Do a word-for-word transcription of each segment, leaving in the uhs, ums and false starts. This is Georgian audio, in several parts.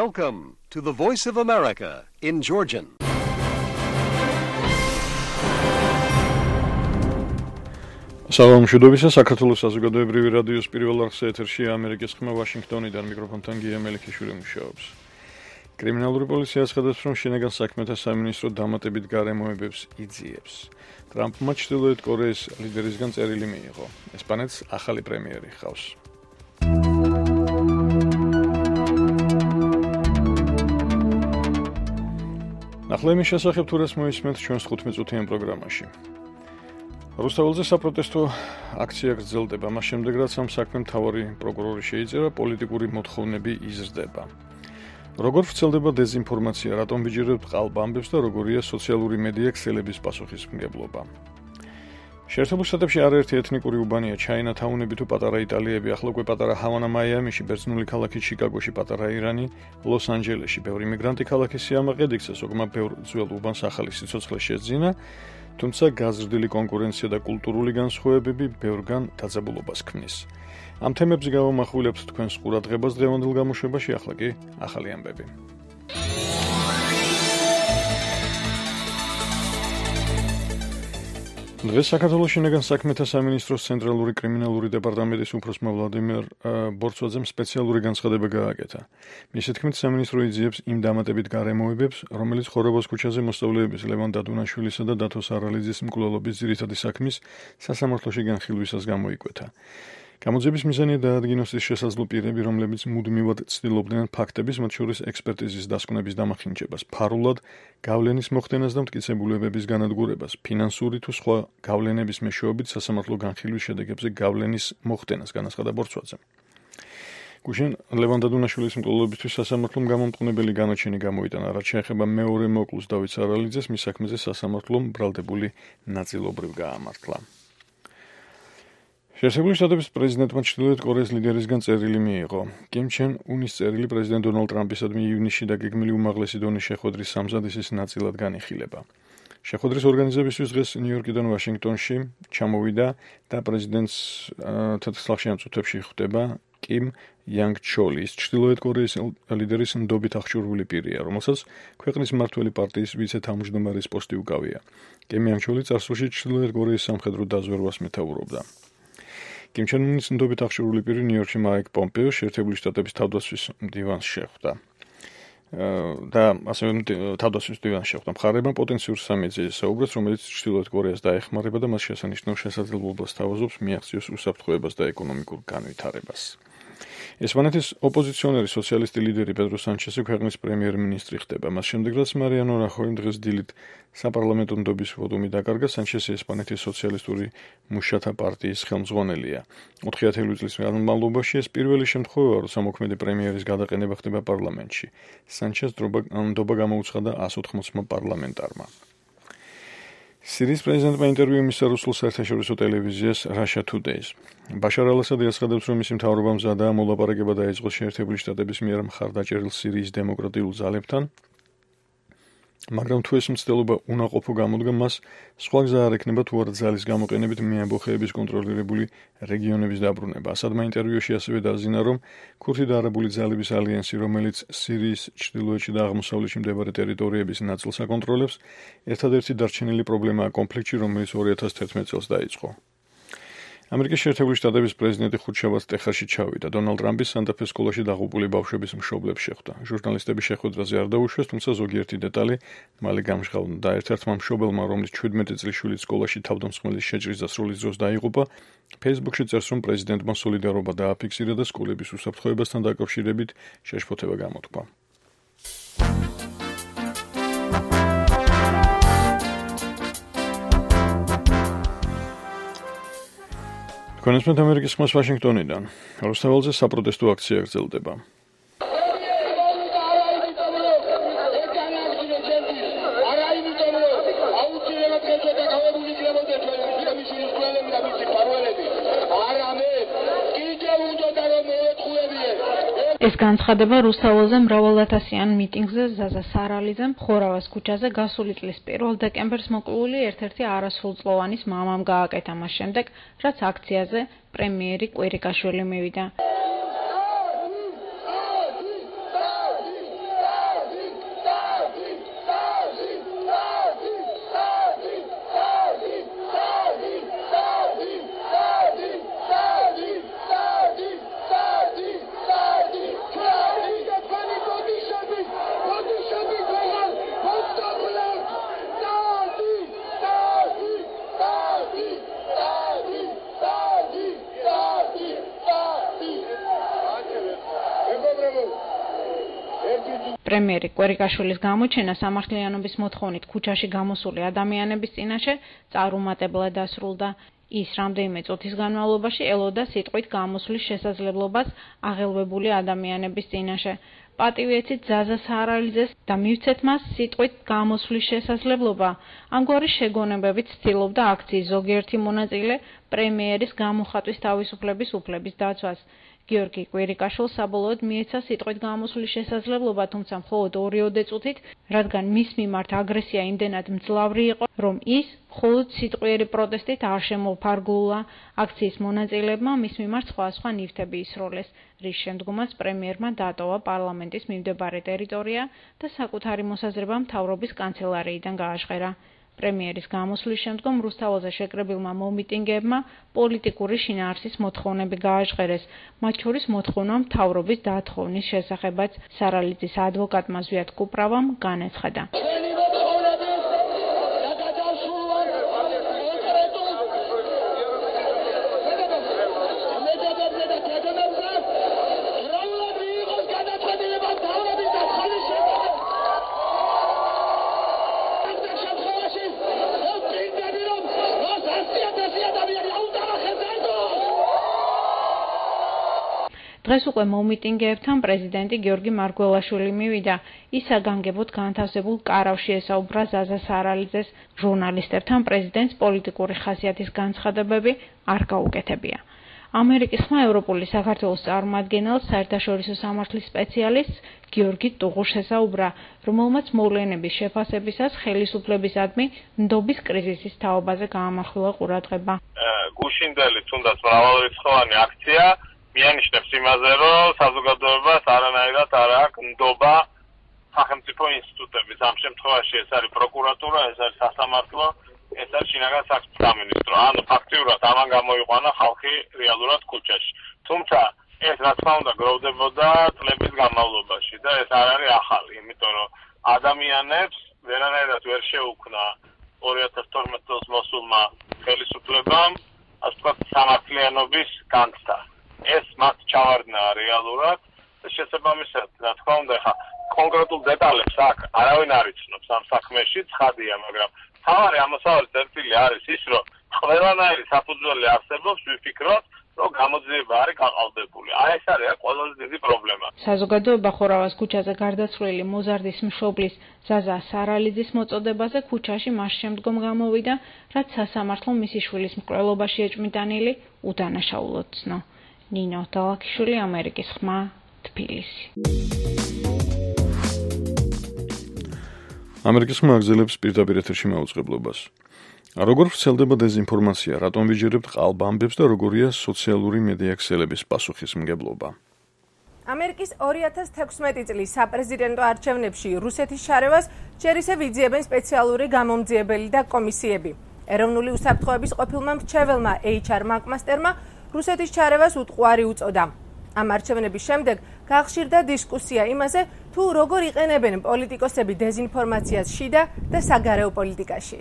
Welcome to the Voice of America in Georgian. Salam შედობისა საქართველოს საზოგადოებრივი რადიოს პირველ არხზე ეთერშია ამერიკის ხმა ვაშინგტონიდან მიკროფონთან გია მელიქიშვილი მუშაობს. კრიმინალური პოლიცია აცხადებს, რომ შინაგან საქმეთა სამინისტრო დამატებით გარემოებებს იძიებს. ტრამპმა ჩრდილოეთ კორეის ლიდერისგან წერილი მიიღო. ესპანეთს ახალი პრემიერი ჰყავს. ახლა იმის შესახებ თუ რას მოისმენთ ჩვენს თხუთმეტ-წუთიან პროგრამაში. რუსთაველზე საპროტესტო აქცია გრძელდება, მას შემდეგ რაც ამ საქმემ მთავარი პროკურორი შეიწერა, პოლიტიკური მოთხოვნები იზრდება. როგორ ვრცელდება დეზინფორმაცია, რატომ ვიჯერებთ ყალბ ამბებს და როგორია სოციალური მედია ქსელების პასუხისმგებლობა. შეერთებულ შტატებში არაერთი ეთნიკური უბანია, ჩაინათაუნები თუ პატარა იტალიები, ახლა უკვე პატარა ჰავანა მაიამიში, ბერძნული ქალაქი ჩიკაგოში, პატარა ირანი, ლოს-ანჯელესში, ბევრი მიგრანტი ქალაქის სიამაყედ იქცა, ზოგმა ბევრ ძველ უბანს ახალი სიცოცხლე შეძინა, თუმცა გაზრდილი კონკურენცია და კულტურული განსხვავებები ბევრგან დაძაბულობას ქმნის. ამ თემებზე გავამახვილებთ თქვენს ყურადღებას დღევანდელ გამოშვებაში, ახლა კი ახალი ამბები. დღეს საქართველოს შინაგან საქმეთა სამინისტროს ცენტრალური კრიმინალური დეპარტამენტის უფროსმა ვლადიმერ ბორცვაძემ სპეციალური განცხადება გააკეთა. მისი თქმით, სამინისტრო იძიებს იმ დამატებით გარემოებებს, რომელიც ხორობოს ქუჩაზე მოსწავლეების ლევან დადუნაშვილისა და დათო სარალიძის მკვლელობის ძირითადი საქმის სასამართლოში განხილვისას გამოიკვეთა. გამოძიების მიზანია დაადგინოს ის შესაძლო პირები, რომლებიც მუდმივად ცდილობდნენ ფაქტების, მათ შორის ექსპერტიზის დასკვნების დამახინჯებას, ფარულად გავლენის მოხდენას და მტკიცებულებების განადგურებას, ფინანსური თუ სხვა გავლენების მეშვეობით სასამართლო განხილვის შედეგებზე გავლენის მოხდენას, განაცხადა ბორცვაძემ. გუშინ ლევან დადუნაშვილის მკვლელობისთვის სასამართლომ გამომტყუნებელი განაჩენი გამოიტანა, რაც შეეხება მეორე მოკლუს დავით სარალიძეს, მის საქმეზე სასამართლომ ბრალდებული ნაწილობრივ გაამართლა. შეერთებული შტატების პრეზიდენტმა ჩრდილოეთ კორეის ლიდერისგან წერილი მიიღო. კიმ ჩენ უნის წერილი პრეზიდენტ დონალდ ტრამპისადმი ივნისში დაგეგმილი უმაღლესი დონის შეხვედრის სამზადისის ნაწილად განიხილება. შეხვედრის ორგანიზებისთვის დღეს ნიუ-იორკიდან ვაშინგტონში ჩამოვიდა და პრეზიდენტს თეთრ სახლში ამ წუთებში ხვდება კიმ იანგ ჩოლი, ის ჩრდილოეთ კორეის ლიდერის ნდობით აღჭურვილი პირია, რომელსაც ქვეყნის მმართველი პარტიის ვიცე-თავმჯდომარის პოსტი უკავია. კიმ იანგ ჩოლი წარსულში ჩრდილოეთ კორეის სამხედრო დაზვერვას მეთაურობდა. კიმ ჩენ უნის ნდობით აღჭურვილი პირი ნიუ-იორკში მაიკ პომპეო შეერთებული შტატების თავდაცვის დივანს შეხვდა. და ასევე თავდაცვის დივანს შეხვდა. მხარეებმა პოტენციურ სამედიაზე საუბრეს, რომელიც ჩრდილოეთ კორეას დაეხმარება და მას შესანიშნავ შესაძლებლობას თავაზობს მიაღწიოს უსაფრთხოებას და ეკონომიკურ განვითარებას. ესპანეთის ოპოზიციონერი სოციალისტი ლიდერი პედრო სანჩესი ქვეყნის პრემიერ-მინისტრი ხდება. მას შემდეგ, რაც მარიანო რახოიმ დღეს დილით საპარლამენტო ნდობის ვოტუმი დაკარგა, სანჩესი ესპანეთის სოციალისტური მუშათა პარტიის ხელმძღვანელია. ოთხი წლის განმავლობაში ეს პირველი შემთხვევაა, როცა მოქმედი პრემიერის გადაყენება ხდება პარლამენტში. სანჩეს ნდობა გამოუცხადა ას ოთხმოცმა პარლამენტარმა. სირიის პრეზიდენტმა ინტერვიუ მისცა რუსულ საერთაშორისო ტელევიზიას Russia Today-ს. ბაშარ ალ-ასადი აცხადებს, რომ მისი მთავრობა მზადაა მოლაპარაკება დაიწყოს შეერთებული შტატების მიერ მხარდაჭერილ სირიის დემოკრატიულ ძალებთან, მაგრამ თუ ეს მცდელობა უნაყოფო გამოდგა, მას სხვა გზა არ ექნება თუ არა ძალის გამოყენებით მეამბოხეების კონტროლირებული რეგიონების დაბრუნება. ასადმა ინტერვიუში ასევე დააზინა, რომ ქურთი და არაბული ძალების ალიანსი, რომელიც სირიის ჩრდილოეთში და აღმოსავლეთში მდებარე ტერიტორიების ნაწილს აკონტროლებს, ერთადერთი დარჩენილი პრობლემაა კონფლიქტში, რომელიც ორი ათას თერთმეტ წელს დაიწყო. ამერიკის შეერთებული შტატების პრეზიდენტი ხუთშაბათს ტეხასში ჩავიდა. დონალდ ტრამპის სანტა-ფეს სკოლაში დაღუპული ბავშვების მშობლებს შეხვდა. ჟურნალისტები შეხვედრაზე არ დაუშვეს, თუმცა ზოგიერთი დეტალი მალე გამჟღავნდა. ერთ-ერთმა მშობელმა, რომლის ჩვიდმეტი წლის შვილი სკოლაში თავდამსხმელის შეჭრის დასრულის დროს დაიღუპა, ფეისბუქში წერს, რომ პრეზიდენტმა სოლიდარობა დააფიქსირა და სკოლების უსაფრთხოებასთან დაკავშირებით შეშფოთება გამოთქვა. კონსპექტ ამერიკის ხმას ვაშინგტონიდან. რუსთაველზე საპროტესტო აქცია გრძელდება. ეს განცხადება რუსთაველზე მრავალათასიან მიტინგზე ზაზა სარალიძემ ხორავას ქუჩაზე გასული წლის პირველ დეკემბერს მოკლული ერთ-ერთი არასრულწლოვანის მამამ გააკეთა მას შემდეგ, რაც აქციაზე პრემიერი კვირიკაშვილი მივიდა. პრემიერი კვერიკაშვილის გამოჩენა სამართლიანობის მოთხოვნით ქუჩაში გამოსული ადამიანების წინაშე წარუმატებლად დასრულდა. ის რამდენიმე წუთის განმავლობაში ელოდა სიტყვით გამოსვლის შესაძლებლობას აღელვებული ადამიანების წინაშე. პატივი ეცით ზაზა სარალიძეს და მივცეთ მას სიტყვით გამოსვლის შესაძლებლობა. ამგვარი შეგონებებით ცდილობდა აქციის ზოგიერთი მონაწილე პრემიერის გამოხატვის თავისუფლების უფლების დაცვას. გიორგი კვირიკაშვილს საბოლოოდ მიეცა სიტყვით გამოსვლის შესაძლებლობა, თუმცა მხოლოდ ორიოდე წუთით, რადგან მის მიმართ აგრესია იმდენად მძლავრი იყო, რომ ის მხოლოდ სიტყვიერი პროტესტით არ შემოფარგლულა. აქციის მონაწილეებმა მის მიმართ სხვა სხვა ნივთები ისროლეს, რის შემდგომაც პრემიერმა დატოვა პარლამენტის მიმდებარე ტერიტორია და საკუთარი მოსაზრება მთავრობის კანცელარიიდან გააჟღერა. პრემიერის გამოსვლის შემდგომ რუსთაველზე შეკრებილმა მომიტინგეებმა პოლიტიკური შინაარსის მოთხოვნები გააჟღერეს, მათ შორის მოთხოვნა მთავრობის დათხოვნის შესახებაც სარალიძის ადვოკატმა ზვიად კუპრავამ განაცხადა. დღეს უკვე მომიტინგეებთან პრეზიდენტი გიორგი მარგველაშვილი მივიდა. ის საგანგებოდ განთავსებულ კარავში ესაუბრა ზაზა სარალიძეს. ჟურნალისტებთან პრეზიდენტს პოლიტიკური ხასიათის განცხადებები არ გაუკეთებია. ამერიკის ხმა ევროპული საქართველოს წარმომადგენელს საერთაშორისო სამართლის სპეციალისტს გიორგი ტუღუშს ესაუბრა, რომელმაც მოვლენების შეფასებისას ხელისუფლებისადმი ნდობის კრიზისის თაობაზე გაამახვილა ყურადღება. გუშინდელი თუნდაც მრავალრიცხოვანი აქცია მიანიშნებს იმაზე, რომ საზოგადოებას არანაირად არ აქვს ნდობა სახელმწიფო ინსტიტუტების. ამ შემთხვევაში ეს არის პროკურატურა, ეს არის სასამართლო, ეს არის შინაგან საქმეთა სამინისტრო. ანუ ფაქტიურად ამან გამოიყვანა ხალხი რეალურად ქუჩაში. თუმცა ეს რა თქმა უნდა გროვდებოდა წლების განმავლობაში და ეს არ არის ახალი, იმიტომ რომ ადამიანებს ვერანაირად ვერ შეუქმნა ორი ათას თორმეტ წელს მოსულმა ხელისუფლებამ, ასე ვთქვათ, სამართლიანობის განცდა. ეს მათ ჩავარდნა რეალურად და შესაბამისად, რა თქმა უნდა, ხა კონკრეტულ დეტალებს აქ არავინ არ იცნობს ამ საქმეში, ცხადია, მაგრამ თავარი ამოსავალი წერტილი არის ის, რომ ყველანაირი საფუძველი არსებობს, ვიფიქროთ, რომ გამოძიება არის გაყალბებული. აი ეს არის ყველაზე დიდი პრობლემა. საზოგადოება ხორავას ქუჩაზე გარდაცვლილი მოზარდის მშობლის ზაზა სარალიძის მოწოდებაზე ქუჩაში მას შემდგომ გამოვიდა, რაც სასამართლო მისი შვილის მკვლელობაში ეჭვმიტანილი უდანაშაულოდ ცნო. ნინო დალაქიშვილი, ამერიკის ხმა, თბილისი. ამერიკის ხმა აგზელებს პირდაპირ ეთერში მაუწყებლობას. როგორ ვრცელდება დეზინფორმაცია, რატომ ვიჯერებთ ყალბ ამბებს და როგორია სოციალური მედია ქსელების პასუხისმგებლობა? ამერიკის ორი ათას თექვსმეტი წლის საპრეზიდენტო არჩევნებში რუსეთის შარევას ჯერ ისევ იძიებენ სპეციალური გამომძიებელი და კომისიები. ეროვნული უსაფრთხოების ყოფილმა მრჩეველმა ეიჩ არ მაკმასტერმა რუსეთის ჩარევას უტყუარი უწოდა. ამ არჩევნების შემდეგ გახშირდა დისკუსია იმაზე, თუ როგორ იყენებენ პოლიტიკოსები დეზინფორმაციას შიდა და საგარეო პოლიტიკაში.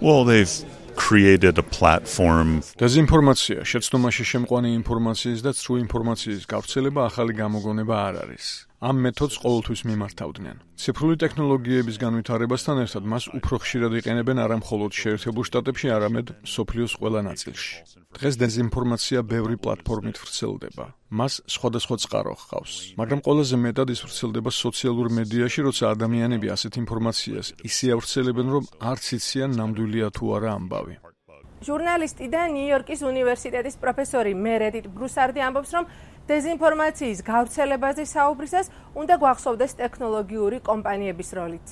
Well, they've created a platform. დეზინფორმაცია, შეცდომაში შემყვანი ინფორმაციის და ცრუ ინფორმაციის გავრცელება ახალი გამოგონება არ არის. ამ მეთოდს ყოველთვის მიმართავდნენ. ციფრული ტექნოლოგიების განვითარებასთან ერთად მას უფრო ხშირად იყენებენ არა მხოლოდ შეერთებულ შტატებში, არამედ მსოფლიოს ყველა ნაწილში. დღეს დეზინფორმაცია ბევრი პლატფორმით ვრცელდება. მას სხვადასხვა წყარო ჰყავს, მაგრამ ყველაზე მეტად ის ვრცელდება სოციალურ მედიაში, როცა ადამიანები ასეთ ინფორმაციას ისე ავრცელებენ, რომ არც იციან ნამდვილია თუ არა ამბავი. ჟურნალისტი და ნიუ-იორკის უნივერსიტეტის პროფესორი მერედით ბრუსარდი ამბობს, რომ დეზინფორმაციის გავრცელებაზე საუბრისას უნდა გვახსოვდეს ტექნოლოგიური კომპანიების როლიც.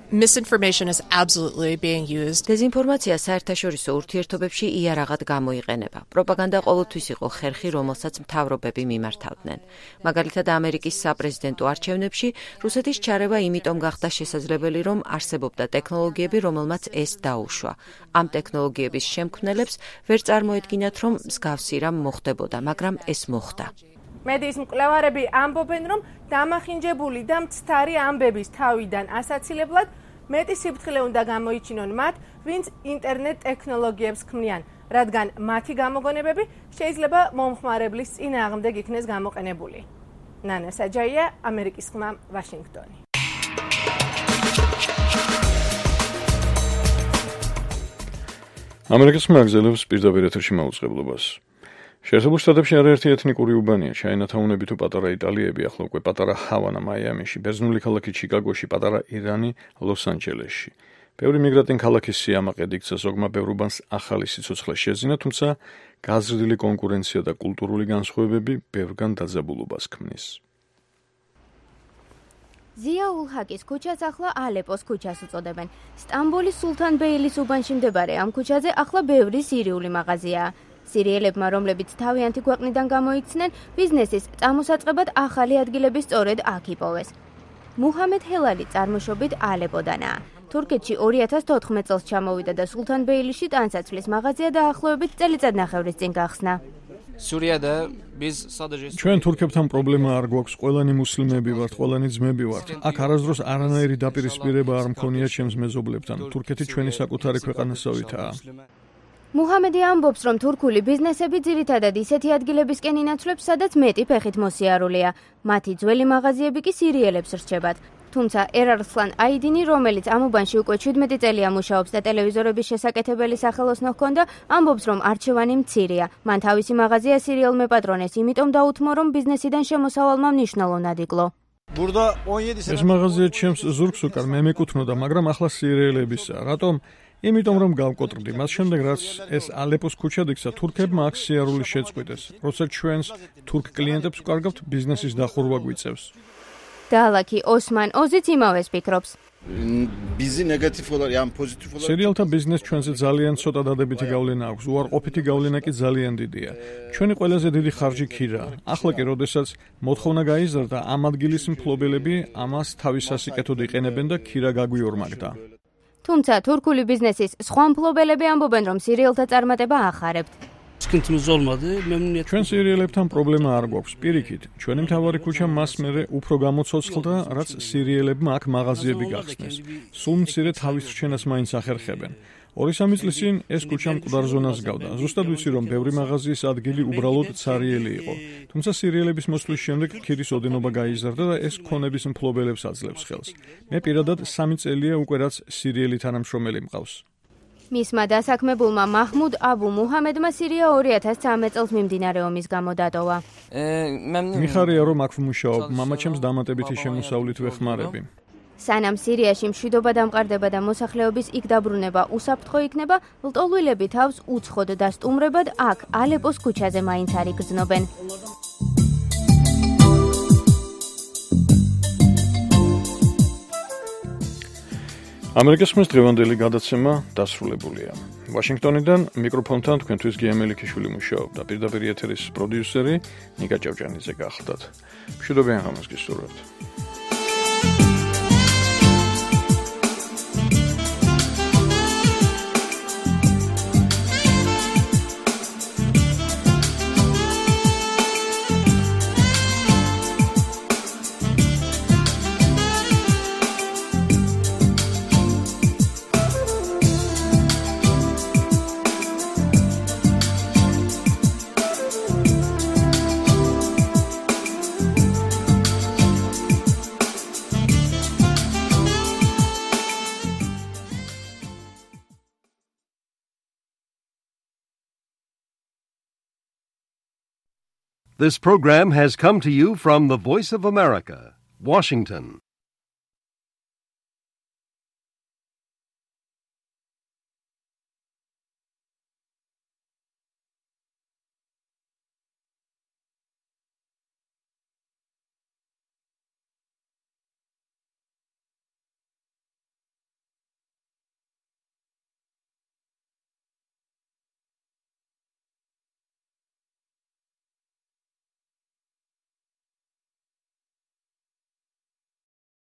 Misinformation is absolutely being used. დეზინფორმაცია საერთაშორისო ურთიერთობებში იარაღად გამოიყენება. პროპაგანდა ყოველთვის იყო ხერხი, რომელსაც მთავრობები მიმართავდნენ. მაგალითად, ამერიკის საპრეზიდენტო არჩევნებში რუსეთის ჩარევა იმიტომ გახდა შესაძლებელი, რომ არსებობდა ტექნოლოგიები, რომელმაც ეს დაუშვა. ამ ტექნოლოგიების შემქმნელებს ვერ წარმოედგინათ, რომ მსგავსი რამ მოხდებოდა, მაგრამ ეს მოხდა. მედიის მკვლევარები ამბობენ, რომ დამახინჯებული და მცდარი ამბების თავიდან ასაცილებლად მეტი სიფრთხილე უნდა გამოიჩინონ მათ, ვინც ინტერნეტ ტექნოლოგიებს ქმნიან, რადგან მათი გამოგონებები შეიძლება მომხმარებლის წინააღმდეგ იქნეს გამოყენებული. ნანა საჯაია, ამერიკის ხმა, ვაშინგტონი. ამერიკის ხმა აგზელებს პირდაპირ ეთერში მაუწყებლობას. შეერთებულ შტატებში არაერთი ეთნიკური უბანია, ჩაინათაუნები თუ პატარა იტალიები, ახლა უკვე პატარა ჰავანა მაიამიში, ბერძნული ქალაქი ჩიკაგოში, პატარა ირანი ლოს-ანჯელესში. ბევრი მიგრანტი ქალაქის სიამაყედ იქცა, ზოგმა ბევრ უბანს ახალი სიცოცხლე შეძინა, თუმცა გაზრდილი კონკურენცია და კულტურული განსხვავებები ბევრგან დაძაბულობას ქმნის. ზია-ულ-ჰაკის ქუჩას ახლა ალეპოს ქუჩას უწოდებენ. სტამბოლის სულთან ბეილის უბანში მდებარე ამ ქუჩაზე ახლა ბევრი სირიული მაღაზიაა. სირიელებმა, რომლებიც თავიანთი ქვეყნიდან გამოიქცნენ, ბიზნესის წამოსაწყებად ახალი ადგილები სწორედ აქ იპოვეს. მუჰამედ ჰელალი წარმოშობით ალეპოდანაა. თურქეთში ორი ათას თოთხმეტ წელს ჩამოვიდა და სულთან ბეილიში ტანსაცმლის მაღაზია დაახლოებით წელიწადნახევრის წინ გახსნა. სურიადა biz sadece ჩვენ თურქებთან პრობლემა არ გვაქვს, ყველანი მუსლიმები ვართ, ყველანი ძმები ვართ. აქ არასდროს არანაირი დაპირისპირება არ მქონია ჩემს მეზობლებთან. თურქეთი ჩვენი საკუთარი ქვეყანასავითაა. მუჰამედი ამბობს, რომ თურქული ბიზნესები ძირითადად ისეთი ადგილებისკენ ინაცვლებს, სადაც მეტი ფეხით მოსიარულია. მათი ძველი მაღაზიები კი სირიელებს რჩებათ. თუმცა ერარსლან აიდინი, რომელიც ამ უბანში უკვე შვიდმეტი წელია მუშაობს და ტელევიზორების შესაკეთებელი სახელოსნო ჰქონდა, ამბობს, რომ არჩევანი მცირეა. მან თავისი მაღაზია სირიელმა პატრონეს, იმიტომ დაუთმო, რომ ბიზნესიდან შემოსავალმა მნიშვნელოვნად იკლო. ეს მაღაზია ჩემს ზურგს უკარ მე მეკუთვნოდა, მაგრამ ახლა სირიელებისა. რატომ? იმიტომ რომ გავკოტრდი. მას შემდეგ რაც ეს ალეპოს ქუჩა იქცა, თურქებმა აქ სიარული შეწყვიტეს. როცა ჩვენს თურქ კლიენტებს ვკარგავთ, ბიზნესის დახურვა გვიწევს. დალაკი ოსმან ოზიც იმავეს ფიქრობს. ბიზი ნეგატივური ან პოზიტიური სერიალთა ბიზნეს ჩვენზე ძალიან ცოტა დადებითი გავლენა აქვს, უარყოფითი გავლენა კი ძალიან დიდია. ჩვენი ყველაზე დიდი ხარჯი ქირაა. ახლა კი, როდესაც მოთხოვნა გაიზარდა, ამ ადგილის მფლობელები ამას თავის სასიკეთოდ იყენებენ და ქირა გაგვიორმაგდა. თუმცა თურქული ბიზნესის სხვა მფლობელები ამბობენ, რომ სირიელთა წარმატება ახარებთ. ჩვენ სირიელებთან პრობლემა არ გვაქვს. პირიქით, ჩვენი მთავარი ქუჩა მას მერე უფრო გამოცოცხლდა, რაც სირიელებმა აქ მაღაზიები გახსნეს. სულ მცირე თავის რჩენას მაინც ახერხებენ. ორი სამი წლის წინ ეს ქუჩა მკვდარ ზონას გავდა. ზუსტად ვიცი, რომ ბევრი მაღაზიის ადგილი უბრალოდ ცარიელი იყო. თუმცა სირიელების მოსვლის შემდეგ ქირის ოდენობა გაიზარდა და ეს ქონების მფლობელებს აძლევს ხელს. მე პირადად სამი წელია უკვე რაც სირიელი თანამშრომელი მყავს. მისმა დასაქმებულმა მაჰმუდ აბუ მუჰამედმა სირია ორი ათას ცხრამეტ წელს მიმდინარე ომის გამო დატოვა. მიხარია რომ აქ ვმუშაობ, მამაჩემს დამატებითი შემოსავლით ვეხმარები. სანამ სირიაში მშვიდობა დამყარდება და მოსახლეობის იქ დაბრუნება უსაფრთხო იქნება, ლტოლვილები თავს უცხოდ და სტუმრებად აქ ალეპოს ქუჩაზე მაინც არ იგრძნობენ. ამერიკის ხმის დღევანდელი გადაცემა დასრულებულია. ვაშინგტონიდან მიკროფონთან თქვენთვის გია მელიქიშვილი მუშაობდა. პირდაპირ ეთერის პროდიუსერი ნიკა ჭავჭანიძე გახლდათ. მშვიდობიან ღამეს გისურვებთ. This program has come to you from the Voice of America, Washington.